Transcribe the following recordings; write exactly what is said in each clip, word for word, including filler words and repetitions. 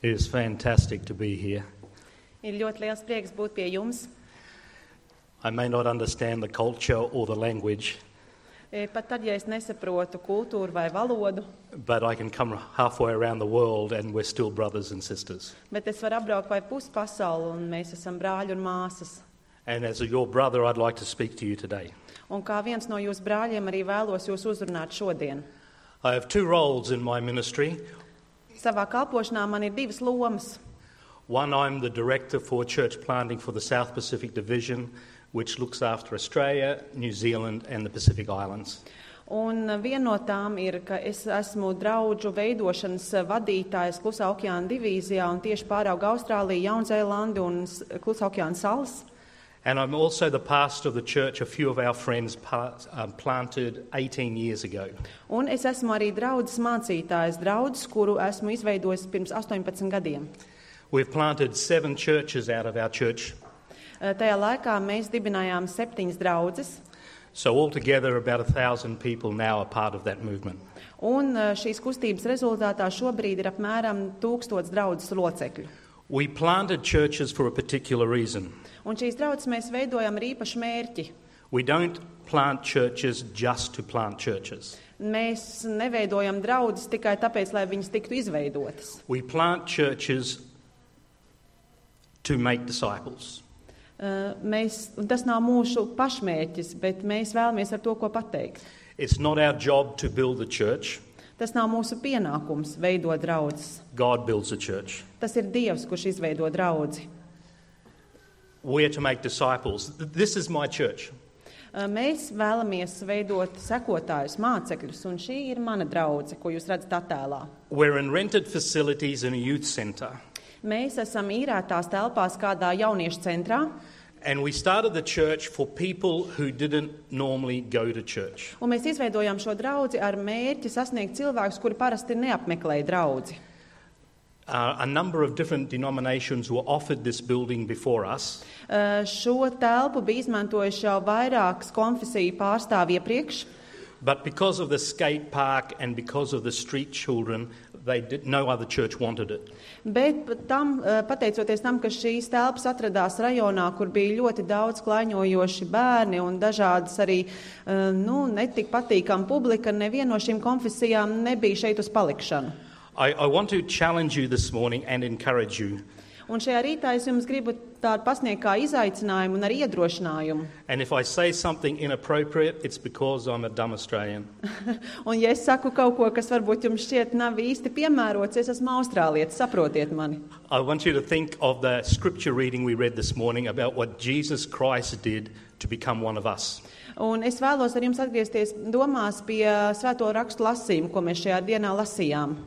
It is fantastic to be here. Ir ļoti liels prieks būt pie jums. I may not understand the culture or the language, E, Pat tad, ja es nesaprotu kultūru vai valodu, but I can come halfway around the world and we're still brothers and sisters. bet es varu apbraukt vai pusi pasauli, un mēs esam brāļi un māsas. And as your brother, I'd like to speak to you today. Un kā viens no jūsu brāļiem arī vēlos jūs uzrunāt šodien. I have two roles in my ministry. Savā kalpošanā man ir divas lomas. One, I'm the director for church planting for the South Pacific Division, which looks after Australia, New Zealand and the Pacific Islands. Un viena no tām ir, ka es esmu draudžu veidošanas vadītājs Klusā okeāna divīzijā un tieši pārauga Austrāliju, Jaunzēlandi un S- Klusā okeāna salas. And I'm also the pastor of the church a few of our friends pa- um, planted eighteen years ago. Un es esmu arī draudzes mācītājs, draudzes, kuru esmu izveidojis pirms astoņpadsmit gadiem. We've planted seven churches out of our church. Eh, Tajā laikā mēs dibinājām septiņas draudzes, So altogether about a thousand people now are part of that movement. un eh, šīs kustības rezultātā šobrīd ir apmēram tūkstots draudzes locekļu. We planted churches for a particular reason. Un šīs draudzes mēs veidojam ar īpašu mērķi. We don't plant churches just to plant churches. Mēs neveidojam draudzes tikai tāpēc, lai viņas tiktu izveidotas. We plant churches to make disciples. Eh, Mēs, un tas nav mūsu pašmērķis, bet mēs vēlamies ar to, ko pateikt. It's not our job to build the church. Tas nav mūsu pienākums veidot draudzes. God builds the church. Tas ir Dievs, kurš izveido draudzi. We're to make disciples. This is my church. Eh, Mēs vēlamies veidot sekotājus, mācekļus, un šī ir mana draudze, ko jūs redzat attēlā. We're in rented facilities in a youth centre. Mēs esam īrētās telpās kādā jauniešu centrā, And we started the church for people who didn't normally go to church. un mēs izveidojām šo draudzi ar mērķi sasniegt cilvēkus, kuri parasti neapmeklē draudzi. Uh, a number of different denominations were offered this building before us. Eh, Šo telpu bija izmantojuši jau vairākas konfesiju pārstāvji iepriekš, But because of the skate park and because of the street children, they did, no other church wanted it. bet pat tam, eh, pateicoties tam, ka šīs telpas atradās rajonā, kur bija ļoti daudz klaiņojoši bērni un dažādas arī eh, nu, netik patīkama publika, neviena no šīm konfesijām nebija šeit uz palikšanu. I, I want to challenge you this morning and encourage you. Un šajā rītā es jums gribu tādu pasniegt kā izaicinājumu un arī iedrošinājumu. And if I say something inappropriate, it's because I'm a dumb Australian. Un ja es saku kaut ko, kas varbūt jums šķiet nav īsti piemērots, es esmu austrālietis, saprotiet mani. I want you to think of the scripture reading we read this morning about what Jesus Christ did to become one of us. Un es vēlos ar jums atgriezties domās pie svēto rakstu lasījumu, ko mēs šajā dienā lasījām.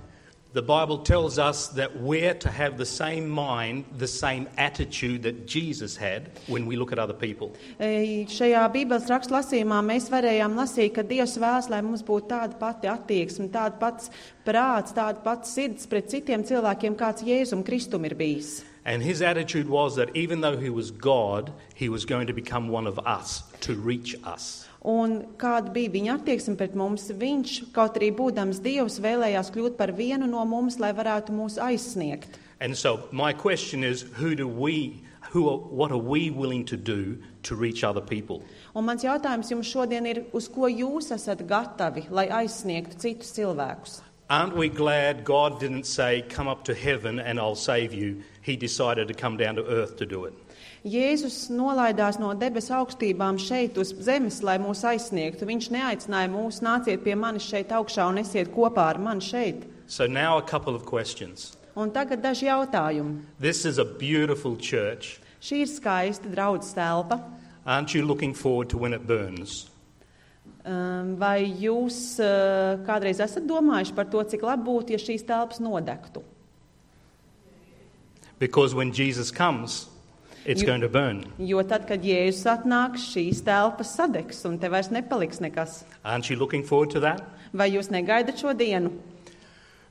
The Bible tells us that we're to have the same mind, the same attitude that Jesus had when we look at other people. E, Šajā Bībeles rakstu lasījumā mēs varējām lasīt, ka Dievs vēlas, lai mums būtu tāda pati attieksme, tāda pats prāts, tāda pati sirds pret citiem cilvēkiem, kāds Jēzum Kristum ir bijis. And his attitude was that even though he was God, he was going to become one of us to reach us. Un kāda bija viņa attieksme pret mums, viņš, kaut arī būdams Dievs, vēlējās kļūt par vienu no mums, lai varētu mūs aizsniegt. And so my question is, who do we, who, are, what are we willing to do to reach other people? Un mans jautājums jums šodien ir, uz ko jūs esat gatavi, lai aizsniegtu citus cilvēkus? Aren't we glad God didn't say, come up to heaven and I'll save you? He decided to come down to earth to do it. Jēzus nolaidās no debesu augstībām šeit uz zemes, lai mūs aizsniegtu. Viņš neaicināja mūs, nāciet pie manis šeit augšā un esiet kopā ar mani šeit. So now a couple of questions. Un tagad daži jautājumi. This is a beautiful church. Šī ir skaista draudzes telpa. Aren't you looking forward to when it burns? Um, Vai jūs uh, kādreiz esat domājuši par to, cik labi būtu, ja šīs telpas nodegtu? Because when Jesus comes, it's You- going to burn. Jo tad, kad Jēzus atnāks, šīs telpas sadegs un te vairs nepaliks nekas. Aren't you looking forward to that? Vai jūs negaidat šo dienu?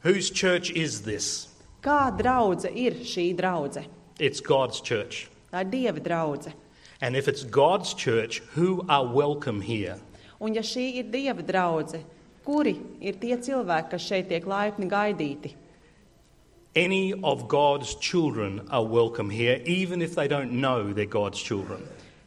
Whose church is this? Kā draudze ir šī draudze? It's God's church. Tā ir Dieva draudze. And if it's God's church, who are welcome here? Un ja šī ir Dieva draudze, kuri ir tie cilvēki, kas šeit tiek laipni gaidīti? Any of God's children are welcome here, even if they don't know they're God's children.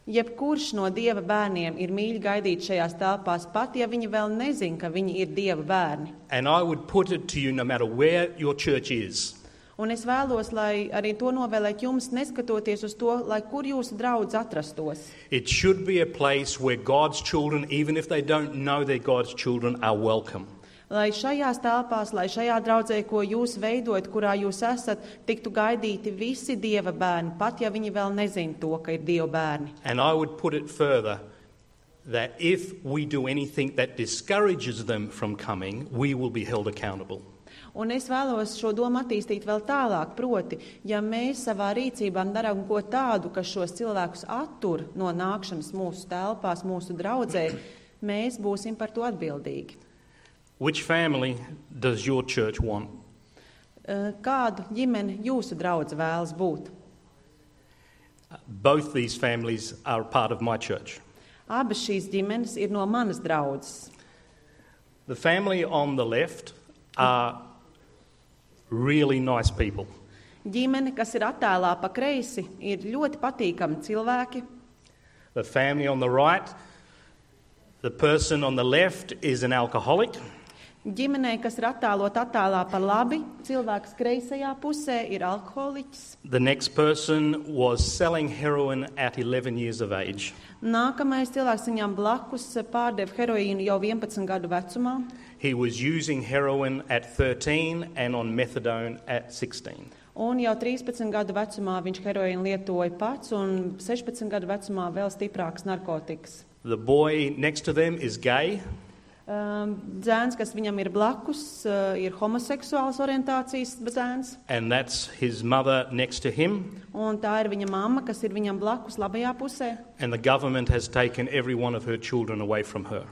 Jebkurš no Dieva bērniem ir mīļi gaidīt šajās telpās, pat ja viņi vēl nezin, ka viņi ir Dieva bērni. And I would put it to you, no matter where your church is, Un es vēlos, lai arī to novēlēt jums, neskatoties uz to, lai kur jūsu draudz atrastos. it should be a place where God's children, even if they don't know they're God's children, are welcome. Lai šajās telpās, lai šajā draudzē, ko jūs veidojat, kurā jūs esat, tiktu gaidīti visi Dieva bērni, pat ja viņi vēl nezin to, ka ir Dieva bērni. And I would put it further, that if we do anything that discourages them from coming, we will be held accountable. Un es vēlos šo domu attīstīt vēl tālāk, proti, ja mēs savā rīcībā darām ko tādu, kas šos cilvēkus attur no nākšanas mūsu telpās, mūsu draudzē, mēs būsim par to atbildīgi. Which family does your church want? Eh, Kādu ģimeni jūsu draudze vēlas būt? Both these families are part of my church. Abas šīs ģimenes ir no manas draudzes. The family on the left are really nice people. Ģimene, kas ir attēlā pa kreisi, ir ļoti patīkami cilvēki. The family on the right, the person on the left is an alcoholic. Ģimenei, kas ir attēlot attēlā pa labi, cilvēks kreisajā pusē ir alkoholiķis. The next person was selling heroin at eleven years of age. Nākamais cilvēks viņam blakus pārdeva heroīnu jau vienpadsmit gadu vecumā. He was using heroin at thirteen and on methadone at sixteen. Un jau trīspadsmit gadu vecumā viņš heroīnu lietoja pats un sešpadsmit gadu vecumā vēl stiprāks narkotikas. The boy next to them is gay. Um, dzēns, kas viņam ir blakus, uh, ir homoseksuāls orientācijas dzēns. And that's his mother next to him. Un tā ir viņa mamma, kas ir viņam blakus labajā pusē. And the government has taken every one of her children away from her.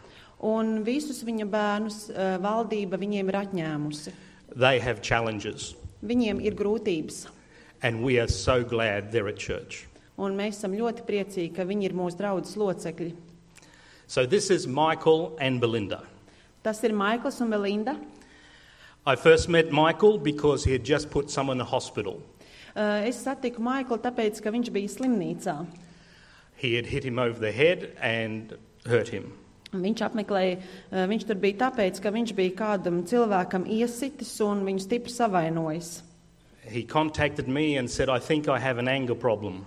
Un visus viņa bērnus uh, valdība viņiem ir atņēmusi. They have challenges. Viņiem ir grūtības. And we are so glad they're at church. Un mēs esam ļoti priecīgi, ka viņi ir mūsu draudzes locekļi. So this is Michael and Belinda. Tas ir Maikls un Belinda. I first met Michael because he had just put someone in the hospital. Uh, es satiku Maiklu tāpēc, ka viņš bija slimnīcā. He had hit him over the head and hurt him. Viņš apmeklēja, uh, viņš tur bija tāpēc, ka viņš bija kādam cilvēkam iesitis un viņu stipri savainojis. He contacted me and said, I think I have an anger problem.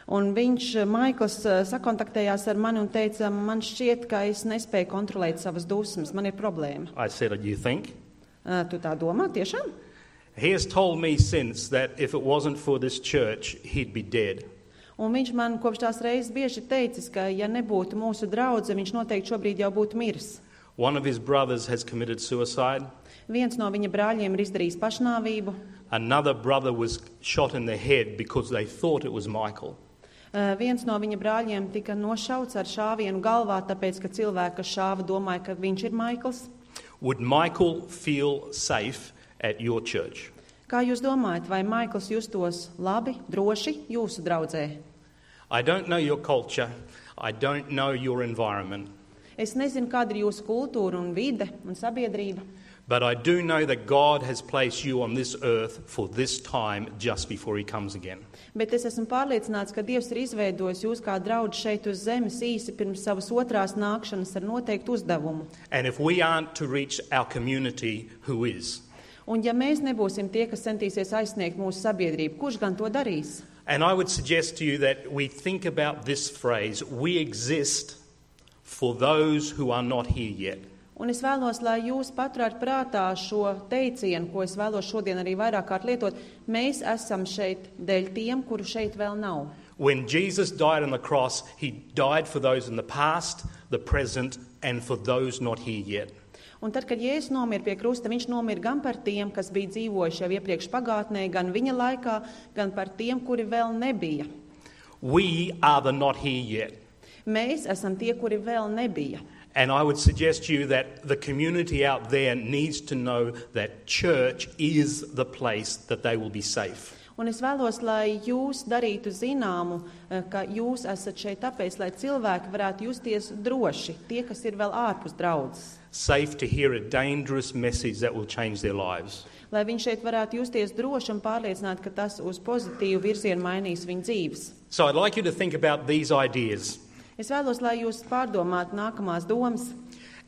Un viņš, Maikls, sakontaktējās ar mani un teica, man šķiet, ka es nespēju kontrolēt savas dusmas, man ir problēma. I said, you think? Uh, tu tā domā, tiešām? He has told me since that if it wasn't for this church, he'd be dead. Un viņš man kopš tās reizes bieži teicis, ka ja nebūtu mūsu draudze, viņš noteikti šobrīd jau būtu miris. One of his brothers has committed suicide. Viens no viņa brāļiem ir izdarījis pašnāvību. Another brother was shot in the head because they thought it was Michael. Uh, viens no viņa brāļiem tika nošauts ar šāvienu galvā, tāpēc, ka cilvēki, kas šāva, domāja, ka viņš ir Maikls. Would Michael feel safe at your church? Kā jūs domājat, vai Maikls justos labi, droši jūsu draudzē? I don't know your culture. I don't know your environment. Es nezinu, kāda ir jūsu kultūra un vide un sabiedrība. But I do know that God has placed you on this earth for this time just before he comes again. Bet es esmu pārliecināts, ka Dievs ir izveidojis jūs kā draudži šeit uz zemes īsi pirms savas otrās nākšanas ar noteiktu uzdevumu. And if we aren't to reach our community, who is? Un ja mēs nebūsim tie, kas centīsies aizsniegt mūsu sabiedrību, kurš gan to darīs? And I would suggest to you that we think about this phrase, we exist for those who are not here yet. Un es vēlos, lai jūs paturētu prātā šo teicienu, ko es vēlos šodien arī vairāk kārt lietot. Mēs esam šeit dēļ tiem, kuru šeit vēl nav. When Jesus died on the cross, he died for those in the past, the present, and for those not here yet. Un tad, kad Jēzus nomira pie krusta, viņš nomira gan par tiem, kas bija dzīvojuši jau iepriekš pagātnē, gan viņa laikā, gan par tiem, kuri vēl nebija. We are the not here yet. Mēs esam tie, kuri vēl nebija. And I would suggest to you that the community out there needs to know that church is the place that they will be safe. Un es vēlos, lai jūs darītu zināmu, ka jūs esat šeit tāpēc, lai cilvēki varētu justies droši, tie, kas ir vēl ārpus draudzes. Safe to hear a dangerous message that will change their lives. Lai viņi šeit varētu justies droši un pārliecināt, ka tas uz pozitīvu virzienu mainīs viņu dzīves. So I'd like you to think about these ideas. Es vēlos, lai jūs pārdomātu nākamās domas.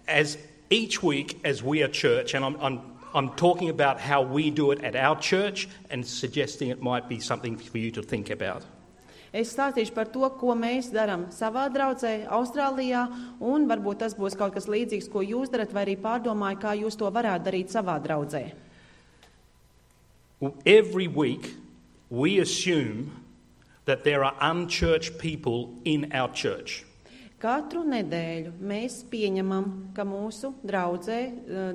As each week, as we are church, and I'm, I'm, I'm talking about how we do it at our church and suggesting it might be something for you to think about. Es stāstīšu par to, ko mēs darām savā draudzē, Austrālijā, un varbūt tas būs kaut kas līdzīgs, ko jūs darat, vai arī pārdomāju, kā jūs to varētu darīt savā draudzē. Every week, we assume that there are unchurched people in our church. Katru nedēļu mēs pieņemam, ka mūsu draudzē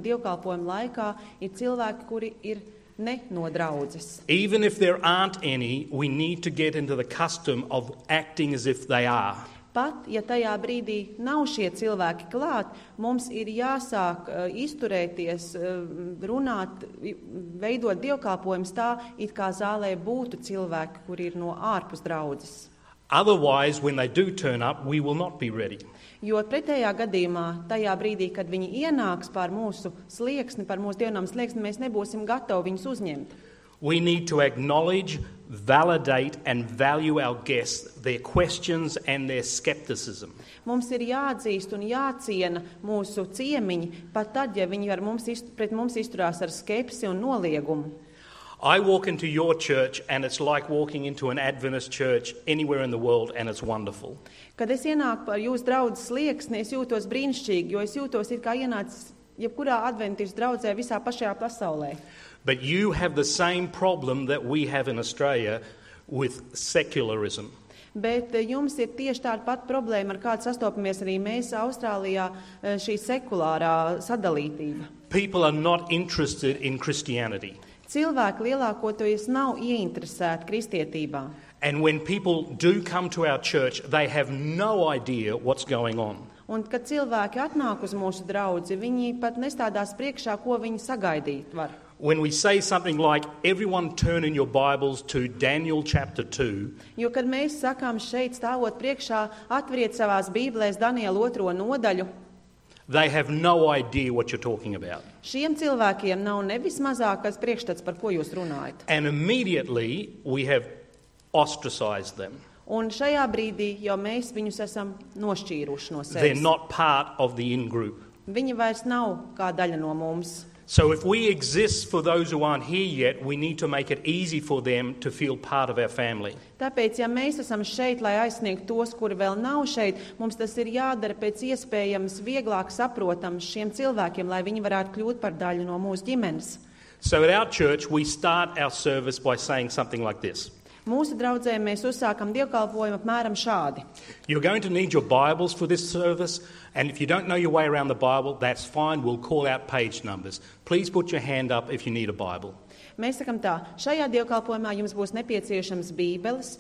dievkalpojuma laikā ir cilvēki, kuri ir ne no draudzes. Even if there aren't any, we need to get into the custom of acting as if they are. Pat, ja tajā brīdī nav šie cilvēki klāt, mums ir jāsāk uh, izturēties, uh, runāt, veidot dievkalpojumus tā, it kā zālē būtu cilvēki, kuri ir no ārpus draudzes. Otherwise, when they do turn up, we will not be ready. Jo pretējā gadījumā, tajā brīdī, kad viņi ienāks pār mūsu slieksni, par mūsu dievnām slieksni, mēs nebūsim gatavi viņus uzņemt. We need to acknowledge, validate and value our guests, their questions and their skepticism. Mums ir jāatzīst un jāciena mūsu ciemiņi, pat tad, ja viņi ar mums, pret mums izturās ar skepsi un noliegumu. I walk into your church and it's like walking into an Adventist church anywhere in the world and it's wonderful. Kad es ienāku par jūsu draudzes slieksni, es jūtos brīnišķīgi, jo es jūtos it kā ienācis jebkurā adventistu draudzē visā pašajā pasaulē. But you have the same problem that we have in Australia with secularism. Bet jums ir tieši tāda pati problēma, ar kādu sastopamies arī mēs Austrālijā, šī sekulārā sadalītība. People are not interested in Christianity. Cilvēki lielākoties nav ieinteresēti kristietībā. And when people do come to our church, they have no idea what's going on. Un, kad cilvēki atnāk uz mūsu draudzi, viņi pat nestādās priekšā, ko viņi sagaidīt var. When we say something like, everyone turn in your Bibles to Daniel chapter two, Jo, kad mēs sakām šeit stāvot priekšā, atveriet savās bībelēs Daniela otro nodaļu, they have no idea what you're talking about. šiem cilvēkiem nav nevis mazākais priekšstats, par ko jūs runājat. And immediately we have ostracized them. Un šajā brīdī jau mēs viņus esam nošķīruši no They're sevis. not part of the in-group. Viņi vairs nav kā daļa no mums. So if we exist for those who aren't here yet, we need to make it easy for them to feel part of our family. Tāpēc, ja mēs esam šeit, lai aizsniegtu tos, kuri vēl nav šeit, mums tas ir jādara pēc iespējams vieglāk saprotams šiem cilvēkiem, lai viņi varētu kļūt par daļu no mūsu ģimenes. So at our church, we start our service by saying something like this. Mūsu draudzē mēs uzsākam dievkalpojumu apmēram šādi. You're going to need your Bibles for this service, and if you don't know your way around the Bible, that's fine. We'll call out page numbers. Please put your hand up if you need a Bible. Mēs sakam tā, šajā dievkalpojumā jums būs nepieciešams bībeles.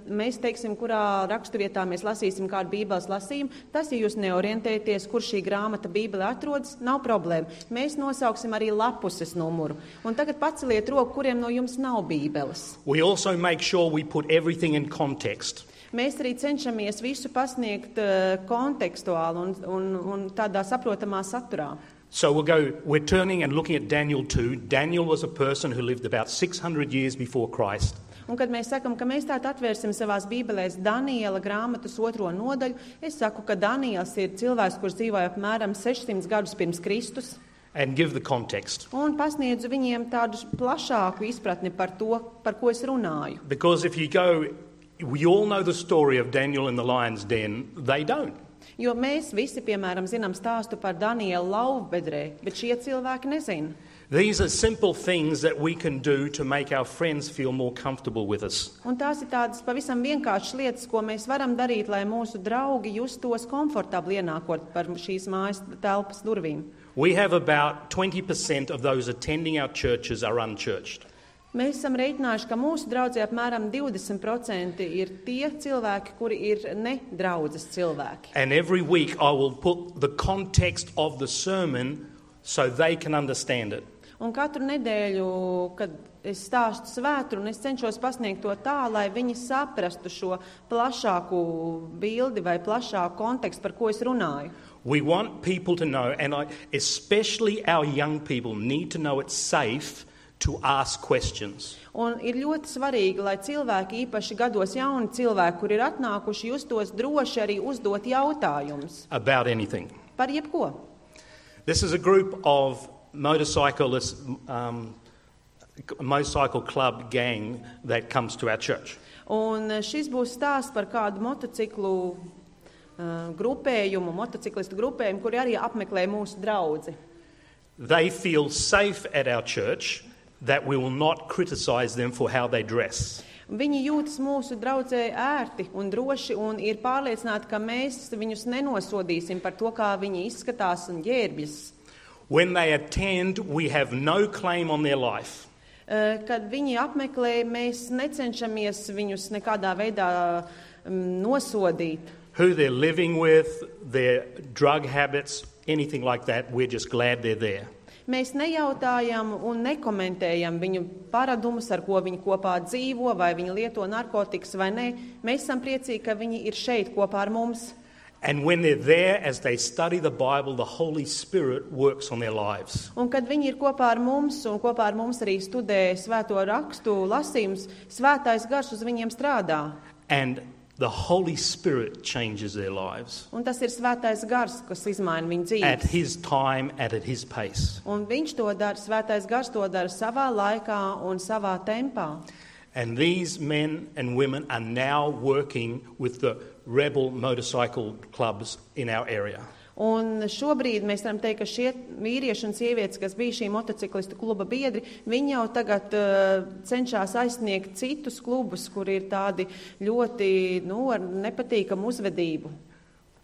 Mēs teiksim, kurā raksturvietā mēs lasīsim kādu bībeles lasījumu. Tas, ja jūs neorientēties, kur šī grāmata bībele atrodas, nav problēma. Mēs nosauksim arī lapuses numuru. Un tagad paceliet roku, kuriem no jums nav bībeles. We also make sure we put everything in context. Mēs arī cenšamies visu pasniegt uh, kontekstuāli un, un, un tādā saprotamā saturā. So we'll go, we're turning and looking at Daniel two. Daniel was a person who lived about six hundred years before Christ. Un kad mēs sakam, ka mēs tātad atvērsim savās bībelēs Daniela grāmatas otro nodaļu, es saku, ka Daniels ir cilvēks, kurš dzīvoja apmēram sešsimt gadus pirms Kristus. And give the context. Un pasniedzu viņiem tādu plašāku izpratni par to, par ko es runāju. Because if you go, we all know the story of Daniel in the lion's den, they don't. Jo mēs visi, piemēram, zinām stāstu par Danielu lauvbedrē, bet šie cilvēki nezina. These are simple things that we can do to make our friends feel more comfortable with us. Un tās ir tādas pavisam vienkāršas lietas, ko mēs varam darīt, lai mūsu draugi justos komfortabli ienākot par šīs mājas telpas durvīm. We have about twenty percent of those attending our churches are unchurched. Mēs esam reiķinājuši, ka mūsu draudzē apmēram divdesmit procenti ir tie cilvēki, kuri ir ne draudzes cilvēki. And every week I will put the context of the sermon so they can understand it. Un katru nedēļu, kad es stāstu svētru, es cenšos pasniegt to tā, lai viņi saprastu šo plašāku bildi vai plašāku kontekstu, par ko es runāju. We want people to know, and I, especially our young people, need to know it's safe to ask questions. Un ir ļoti svarīgi, lai cilvēki, īpaši gados jauni cilvēki, kur ir atnākuši, justos droši arī uzdot jautājumus. About anything. Par jebko. This is a group of motorcyclists, um, motorcycle club gang that comes to our church. Un šis būs stāsts par kādu motociklu uh, grupējumu, motociklistu grupējumu, kuri arī apmeklē mūsu draudzi. They feel safe at our church that we will not criticize them for how they dress. Viņi jūtas mūsu draudzē ērti un droši un ir pārliecināti, ka mēs viņus nenosodīsim par to, kā viņi izskatās un ģērbjas. When they attend, we have no claim on their life. Uh, kad viņi apmeklē, mēs necenšamies viņus nekādā veidā um, nosodīt. Who they're living with, their drug habits, anything like that, we're just glad they're there. Mēs nejautājam un nekomentējam viņu paradumus, ar ko viņi kopā dzīvo, vai viņi lieto narkotikas vai nē. Mēs esam priecīgi, ka viņi ir šeit kopā ar mums. And when they're there, as they study the Bible, the Holy Spirit works on their lives. Un kad viņi ir kopā ar mums un kopā ar mums arī studē svēto rakstu lasījumus, svētais gars uz viņiem strādā. And the Holy Spirit changes their lives. Un tas ir svētais gars, kas izmaina viņu At dzīves. His time, and at His pace. Un viņš to dara, svētais gars to dara savā laikā un savā tempā. And these men and women are now working with the rebel motorcycle clubs in our area. Un šobrīd mēs varam teikt, ka šie vīrieši un sievietes, kas bija šī motociklistu kluba biedri, viņi jau tagad uh, cenšas aizsniegt citus klubus, kur ir tādi ļoti, nu, ar nepatīkamu uzvedību.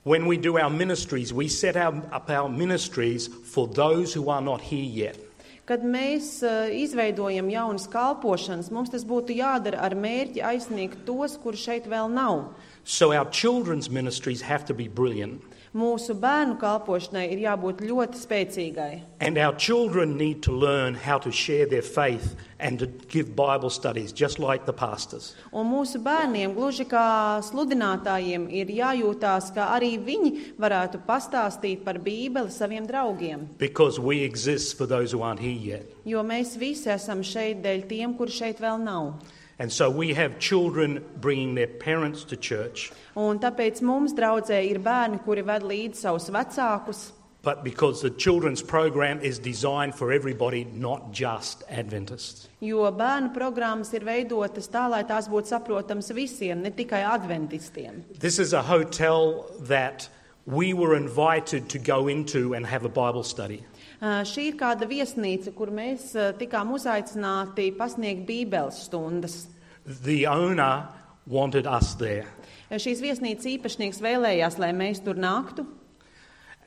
When we do our ministries, we set our, up our ministries for those who are not here yet. Kad mēs uh, izveidojam jaunas kalpošanas, mums tas būtu jādara ar mērķi aizsniegt tos, kur šeit vēl nav. So our children's ministries have to be brilliant. Mūsu bērnu kalpošanai ir jābūt ļoti spēcīgai. And our children need to learn how to share their faith and to give Bible studies, just like the pastors. Un mūsu bērniem, gluži kā sludinātājiem, ir jājūtās, ka arī viņi varētu pastāstīt par Bībeli saviem draugiem. Because we exist for those who aren't here yet. Jo mēs visi esam šeit dēļ tiem, kur šeit vēl nav. And so we have children bringing their parents to church. Un tāpēc mums draudzē ir bērni, kuri ved līdzi savus vecākus. But because the children's program is designed for everybody, not just Adventists. Jo bērnu programmas ir veidotas tā, lai tās būtu saprotams visiem, ne tikai adventistiem. This is a hotel that we were invited to go into and have a Bible study. Uh, šī ir kāda viesnīca, kur mēs uh, tikām uzaicināti pasniegt bībeles stundas. The owner wanted us there. Uh, šīs viesnīcas īpašnieks vēlējās, lai mēs tur nāktu.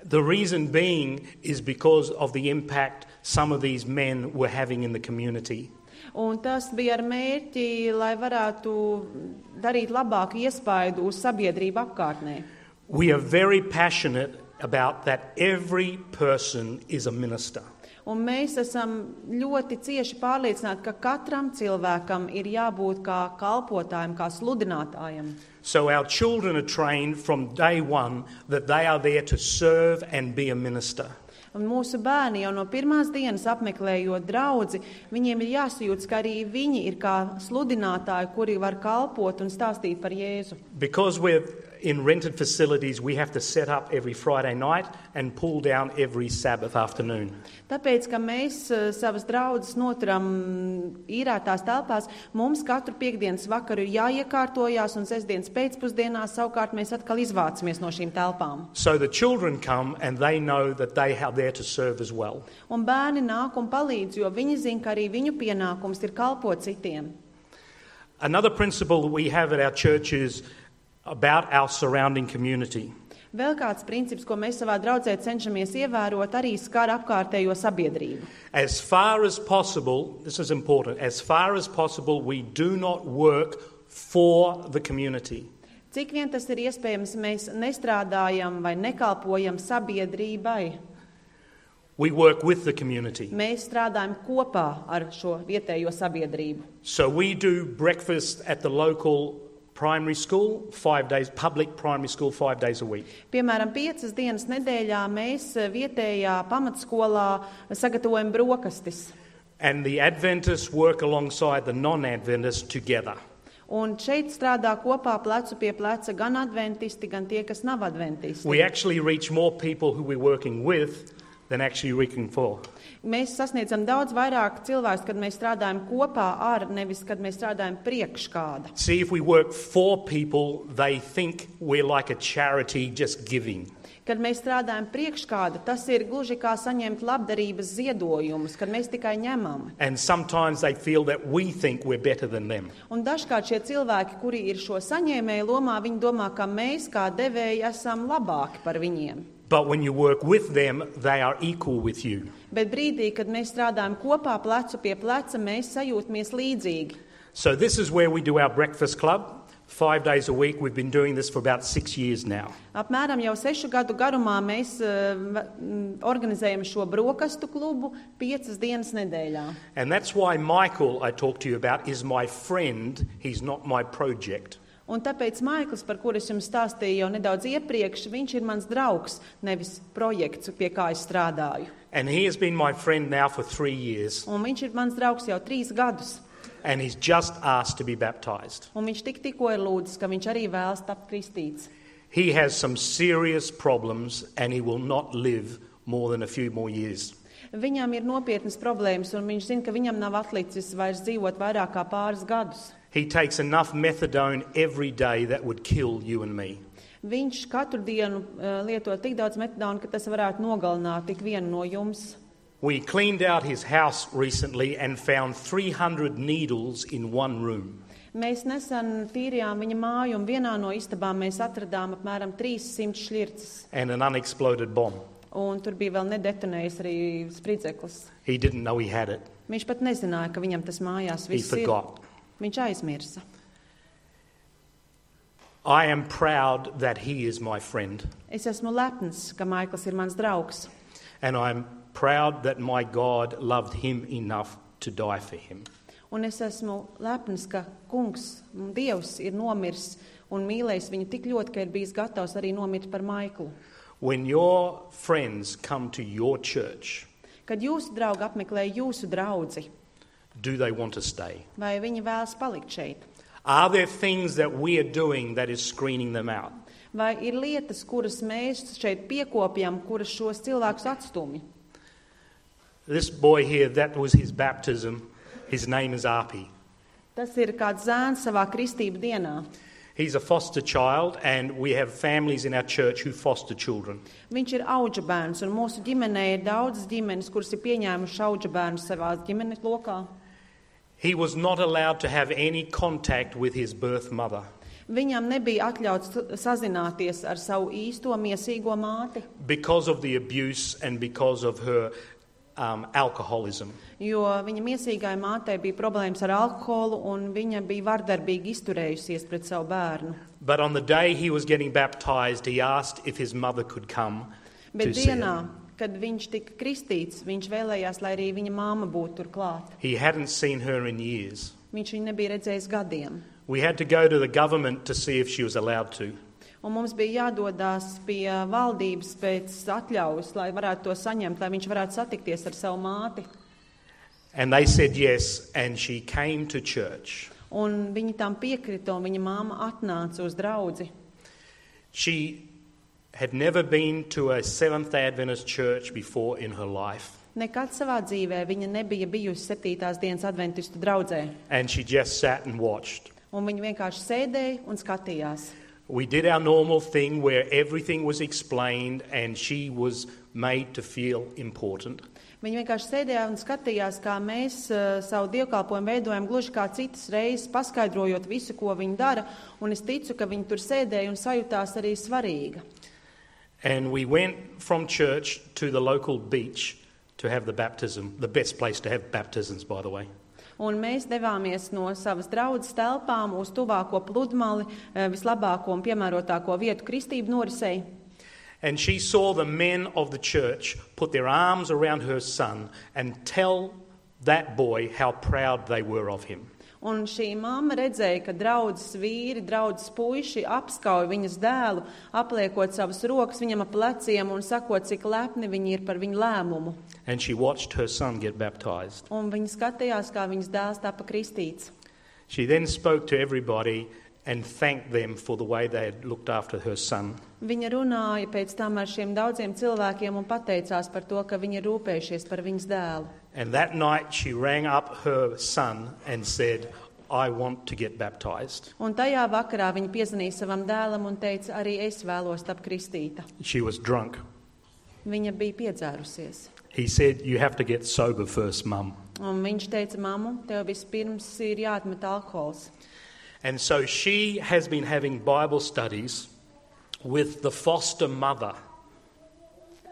The reason being is because of the impact some of these men were having in the community. Un tas bija ar mērķi, lai varētu darīt labāku iespaidu uz sabiedrību apkārtnē. We are very passionate about that every person is a minister. Un mēs esam ļoti cieši pārliecināti, ka katram cilvēkam ir jābūt kā kalpotājam, kā sludinātājam. So our children are trained from day one that they are there to serve and be a minister. Un mūsu bērni jau no pirmās dienas apmeklējot draudzi, viņiem ir jāsajūtas, ka arī viņi ir kā sludinātāji, kuri var kalpot un stāstīt par Jēzu. Because we're in rented facilities, we have to set up every Friday night and pull down every Sabbath afternoon. Tāpēc, ka mēs uh, savas draudzes noturam īrētās telpās, mums katru piekdienas vakaru ir jāiekārtojās un sestdienas pēcpusdienā savukārt mēs atkal izvācamies no šīm telpām. So the children come and they know that they are there to serve as well. Un bērni nāk un palīdz, jo viņi zina, ka arī viņu pienākums ir kalpot citiem. Another principle that we have at our church is about our surrounding community. Vēl kāds princips, ko mēs savā draudzē cenšamies ievērot, arī skar apkārtējo sabiedrību. As far as possible, this is important, as far as possible we do not work for the community. Cik vien tas ir iespējams, mēs nestrādājam vai nekalpojam sabiedrībai. We work with the community. Mēs strādājam kopā ar šo vietējo sabiedrību. So we do breakfast at the local primary school, five days, public primary school, five days a week. Piemēram, piecas dienas nedēļā mēs vietējā pamatskolā sagatavojam brokastis. And the Adventists work alongside the non-Adventists together. Un šeit strādā kopā plecu pie pleca gan adventisti, gan tie, kas nav adventisti. We actually reach more people who we're working with than actually reaching for. Mēs sasniedzam daudz vairāk cilvēkus, kad mēs strādājam kopā ar, nevis kad mēs strādājam priekš kāda. See, if we work for people, they think we're like a charity just giving. Kad mēs strādājam priekš kāda, tas ir gluži kā saņemt labdarības ziedojumus, kad mēs tikai ņemam. And sometimes they feel that we think we're better than them. Un dažkārt šie cilvēki, kuri ir šo saņēmēju lomā, viņi domā, ka mēs kā devēji esam labāki par viņiem. But when you work with them, they are equal with you. Bet brīdī, kad mēs strādājam kopā plecu pie pleca, mēs sajūtamies līdzīgi. So this is where we do our breakfast club. Five days a week. We've been doing this for about six years now. Apmēram jau sešu gadu garumā mēs uh, organizējam šo brokastu klubu piecas dienas nedēļā. And that's why Michael, I talked to you about, is my friend. He's not my project. Un tāpēc Maikls, par kuru es jums stāstīju jau nedaudz iepriekš, viņš ir mans draugs, nevis projekts, pie kā es strādāju. And he has been my friend now for three years. Un viņš ir mans draugs jau trīs gadus. And he's just asked to be baptized. Un viņš tik tikko ir lūdzis, ka viņš arī vēlas tapt kristīts. He has some serious problems and he will not live more than a few more years. Viņam ir nopietnas problēmas, un viņš zina, ka viņam nav atlicis vairs dzīvot vairāk kā pāris gadus. He takes enough methadone every day that would kill you and me. Viņš katru dienu uh, lieto tik daudz metadonu, ka tas varētu nogalināt tik vienu no jums. We cleaned out his house recently and found three hundred needles in one room. Mēs nesen tīrījām viņa māju, un vienā no istabām mēs atradām apmēram trīssimt šļirces. And an unexploded bomb. Un tur bija vēl nedetonējis arī spridzeklis. He didn't know he had it. Viņš pat nezināja, ka viņam tas mājās He viss ir. forgot. Viņš aizmirsa. I am proud that he is my friend. Es esmu lepns, ka Maikls ir mans draugs. And I'm proud that my God loved him enough to die for him. Un es esmu lepns, ka kungs, Dievs, ir nomirs un mīlējis viņu tik ļoti, ka ir bijis gatavs arī nomirt par Maiklu. When your friends come to your church, Kad jūsu draugi apmeklē jūsu draudzi, do they want to stay? vai viņi vēlas palikt šeit? Are there things that we are doing that is screening them out? Vai ir lietas, kuras mēs šeit piekopjam, kuras šos cilvēkus atstumj? This boy here, that was his baptism. His name is Arpi. Tas ir kāds zēns savā kristību dienā. He's a foster child, and we have families in our church who foster children. Viņš ir auģa bērns, un mūsu ģimenē ir daudzas ģimenes, kuras ir pieņēmuši auģa bērnus savā ģimenes lokā. He was not allowed to have any contact with his birth mother Viņam nebija atļauts sazināties ar savu īsto miesīgo māti, because of the abuse and because of her um, alcoholism. jo viņa miesīgai mātei bija problēmas ar alkoholu, un viņa bija vardarbīgi izturējusies pret savu bērnu. But on the day he was getting baptized, he asked if his mother could come to Bet see dienā, him. kad viņš tika kristīts, viņš vēlējās, lai arī viņa māma būtu tur klāt. He hadn't seen her in years. Viņš viņu nebija redzējis gadiem. We had to go to the government to see if she was allowed to. Un mums bija jādodās pie valdības pēc atļaujas, lai varētu to saņemt, lai viņš varētu satikties ar savu māti. And they said yes, and she came to church. Un viņi tam piekrita, un viņa māma atnāca uz draudzi. She had never been to a Seventh-day Adventist church before in her life. Nekad savā dzīvē viņa nebija bijusi septītās dienas adventistu draudzē. And she just sat and watched. Un viņa vienkārši sēdēja un skatījās. We did our normal thing where everything was explained and she was made to feel important. Viņa vienkārši sēdēja un skatījās, kā mēs uh, savu dievkalpojumu veidojam gluži kā citas reizes, paskaidrojot visu, ko viņa dara. Un es ticu, ka viņa tur sēdēja un sajūtās arī svarīga. And we went from church to the local beach to have the baptism, the best place to have baptisms, by the way. Un mēs devāmies no savas draudzes telpām uz tuvāko pludmali, vislabāko un piemērotāko vietu kristību norisei. And she saw the men of the church put their arms around her son and tell that boy how proud they were of him. Un šī mamma redzēja, ka draudzes vīri, draudzes puiši apskauj viņas dēlu, apliekot savas rokas viņam ap pleciem un sakot, cik lepni viņi ir par viņu lēmumu. And she watched her son get baptized. Un viņa skatījās, kā viņas dēls tapa kristīts. She then spoke to everybody and thanked them for the way they had looked after her son. Viņa runāja pēc tam ar šiem daudziem cilvēkiem un pateicās par to, ka viņi ir rūpējušies par viņas dēlu. And that night she rang up her son and said, I want to get baptized. Un tajā vakarā viņa piezvanīja savam dēlam un teica, arī es vēlos tapt kristīta. She was drunk. Viņa bija piedzērusies. He said, you have to get sober first, Mum. Un viņš teica, mammu, tev vispirms ir jāatmet alkohols. And so she has been having Bible studies with the foster mother.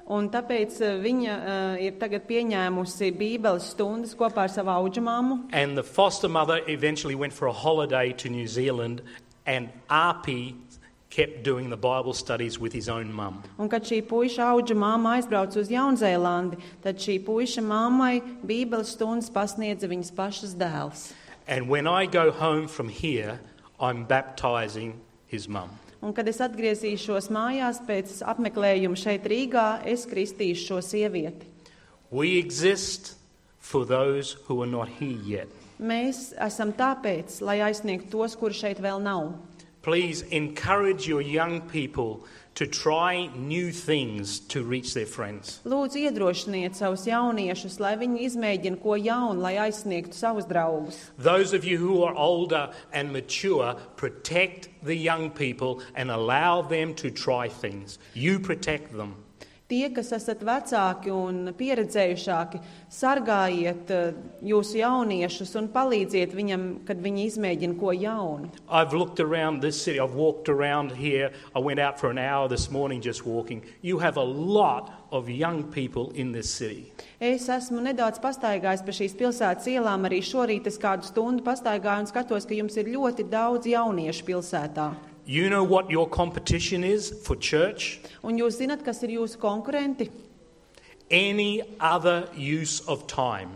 Un tāpēc viņa uh, ir tagad pieņēmusi Bībeles stundas kopā ar savu audžamāmu. And the foster mother eventually went for a holiday to New Zealand, and R P kept doing the Bible studies with his own mum. Un kad šī puiša audžamāma aizbrauca uz Jaunzēlandi, tad šī puiša mammai Bībeles stundas pasniedza viņas pašas dēls. And when I go home from here, I'm baptizing his mum. Un kad es atgriezīšos mājās pēc apmeklējuma šeit Rīgā, es kristīšu šo sievieti. We exist for those who are not here yet. Mēs esam tāpēc, lai aizsniegtu tos, kuri šeit vēl nav. Please encourage your young people to try new things to reach their friends. Lūdzu, iedrošiniet savus jauniešus, lai viņi izmēģina ko jaunu, lai aizsniegtu savus draugus. Those of you who are older and mature, protect the young people and allow them to try things. You protect them. Tie, kas esat vecāki un pieredzējušāki, sargājiet jūsu jauniešus un palīdziet viņam, kad viņi izmēģina ko jaunu. I've looked around this city. I've walked around here. I went out for an hour this morning just walking. You have a lot of young people in this city. Es esmu nedaudz pastaigājis pa šīs pilsētas ielām, arī šorīt es kādu stundu pastaigāju un skatos, ka jums ir ļoti daudz jauniešu pilsētā. You know what your competition is for church? Un jūs zinat, kas ir jūsu konkurenti? Any other use of time.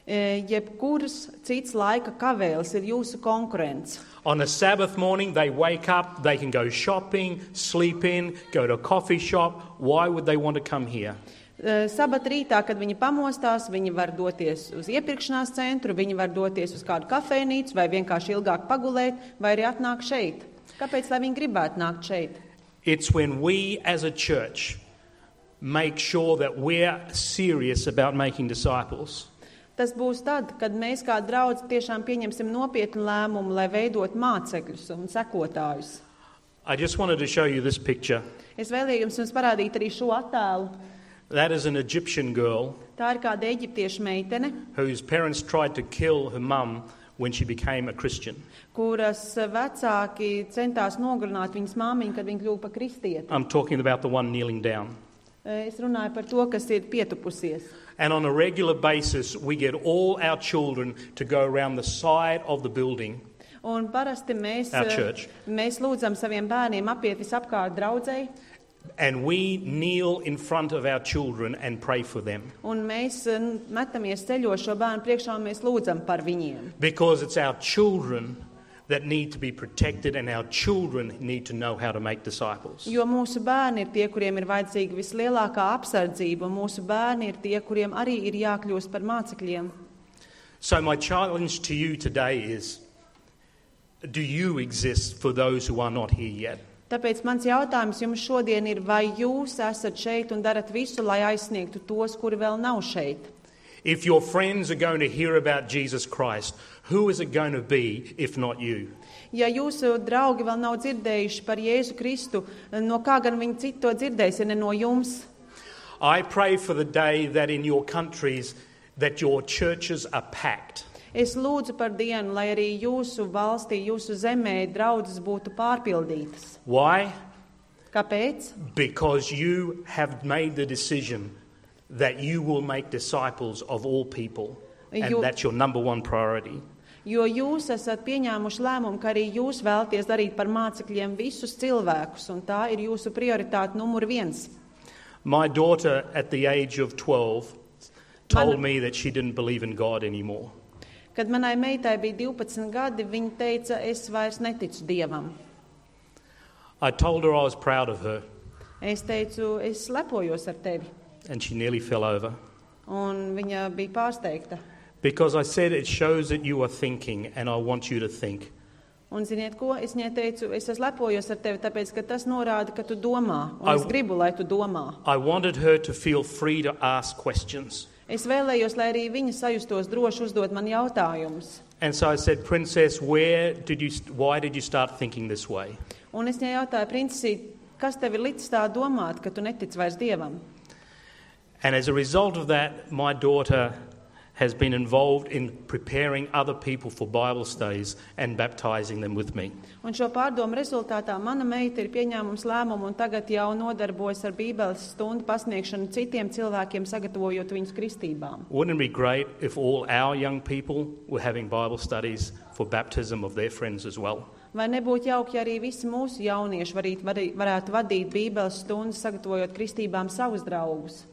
E, jebkuras cits laika kavēls ir jūsu konkurents. On a Sabbath morning, they wake up, they can go shopping, sleep in, go to a coffee shop. Why would they want to come here? E, Sabat rītā, kad viņi pamostās, viņi var doties uz iepirkšanās centru, viņi var doties uz kādu kafejnīcu vai vienkārši ilgāk pagulēt, vai arī atnāk šeit. Kāpēc, lai viņi gribētu nākt šeit? It's when we as a church make sure that we're serious about making disciples. Tas būs tad, kad mēs kā draudz tiešām pieņemsim nopietnu lēmumu, lai veidot mācekļus un sekotājus. I just wanted to show you this picture. Es vēlējos jums parādīt arī šo attēlu. That is an Egyptian girl. Tā ir kāda eģiptiešu meitene, whose parents tried to kill her mum when she became a Christian. Kuras vecāki centās nogalināt viņas māmiņu, kad viņa kļuva par kristieti. I'm talking about the one kneeling down. Es runāju par to, kas ir pietupusies. And on a regular basis, we get all our children to go around the side of the building. Un parasti mēs, Our church. mēs lūdzam saviem bērniem apiet visapkārt draudzei. And we kneel in front of our children and pray for them. Un mēs metamies ceļos šo bērnu priekšā un mēs lūdzam par viņiem. Because it's our children that need to be protected and our children need to know how to make disciples. Jo mūsu bērni ir tie, kuriem ir vajadzīga vislielākā apsardzība, un mūsu bērni ir tie, kuriem arī ir jākļūst par mācekļiem. So my challenge to you today is, do you exist for those who are not here yet? Tāpēc mans jautājums jums šodien ir, vai jūs esat šeit un darat visu, lai aizsniegtu tos, kuri vēl nav šeit? If your friends are going to hear about Jesus Christ, who is it going to be if not you? Ja jūsu draugi vēl nav dzirdējuši par Jēzu Kristu, no kā gan viņi citu to dzirdēs, ja ne no jums? I pray for the day that in your countries that your churches are packed. Es lūdzu par dienu, lai arī jūsu valstī, jūsu zemē draudzes būtu pārpildītas. Why? Kāpēc? Because you have made the decision that you will make disciples of all people. And You- that's your number one priority. Jo jūs esat pieņēmuši lēmumu, ka arī jūs vēlaties darīt par mācekļiem visus cilvēkus, un tā ir jūsu prioritāte numur viens. My daughter, at the age of twelve, told Man- me that she didn't believe in God anymore. Kad manai meitai bija divpadsmit gadi, viņa teica, es vairs neticu Dievam. I told her I was proud of her, Es teicu, es lepojos ar tevi, and she nearly fell over. un viņa bija pārsteigta. Because I said it shows that you are thinking, and I want you to think. Un ziniet ko, es viņai teicu, es esmu lepojos ar tevi, tāpēc, ka tas norāda, ka tu domā, un I- es gribu, lai tu domā. I wanted her to feel free to ask questions. Es vēlējos, lai arī viņa sajustos droši uzdot man jautājumus. And so I said, Princess, where did you, why did you start thinking this way? Un es viņai jautāju, princesīt, kas tev ir licis tā domāt, ka tu netici vairs Dievam? And as a result of that, my daughter has been involved in preparing other people for Bible studies and baptizing them with me. Un šo pārdomu rezultātā mana meita ir pieņēmums lēmumu un tagad jau nodarbojas ar Bībeles stundu pasniegšanu citiem cilvēkiem, sagatavojot viņus kristībām. Wouldn't it be great if all our young people were having Bible studies for baptism of their friends as well? Vai nebūtu jauki, ja arī visi mūsu jaunieši varīt, varī- varētu vadīt Bībeles stundas, sagatavojot kristībām savus draugus?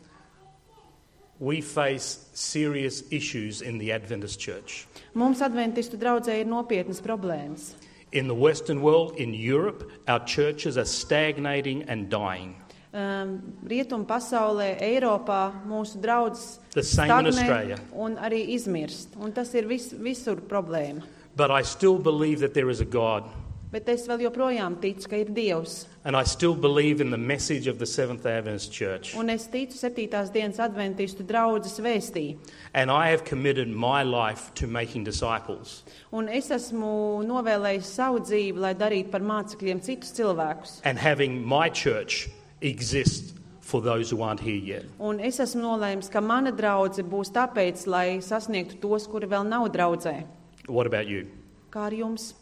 We face serious issues in the Adventist Church. Mums adventistu draudzē ir nopietnas problēmas. In the Western world, in Europe, our churches are stagnating and dying. Um, Rietumu pasaulē, Eiropā mūsu draudzes The same in Australia. un arī izmirst. Un tas ir vis, visur problēma. But I still believe that there is a God. Bet es vēl joprojām ticu, ka ir Dievs. And I still believe in the message of the Seventh-day Adventist Church. Un es ticu septītās dienas adventistu draudzes vēstī. And I have committed my life to making disciples. Un es esmu novēlējis savu dzīvi, lai darītu par mācekļiem citus cilvēkus. And having my church exist for those who aren't here yet. Un es esmu nolēmis, ka mana draudze būs tāpēc, lai sasniegtu tos, kuri vēl nav draudzē. What about you? Kā ar jums?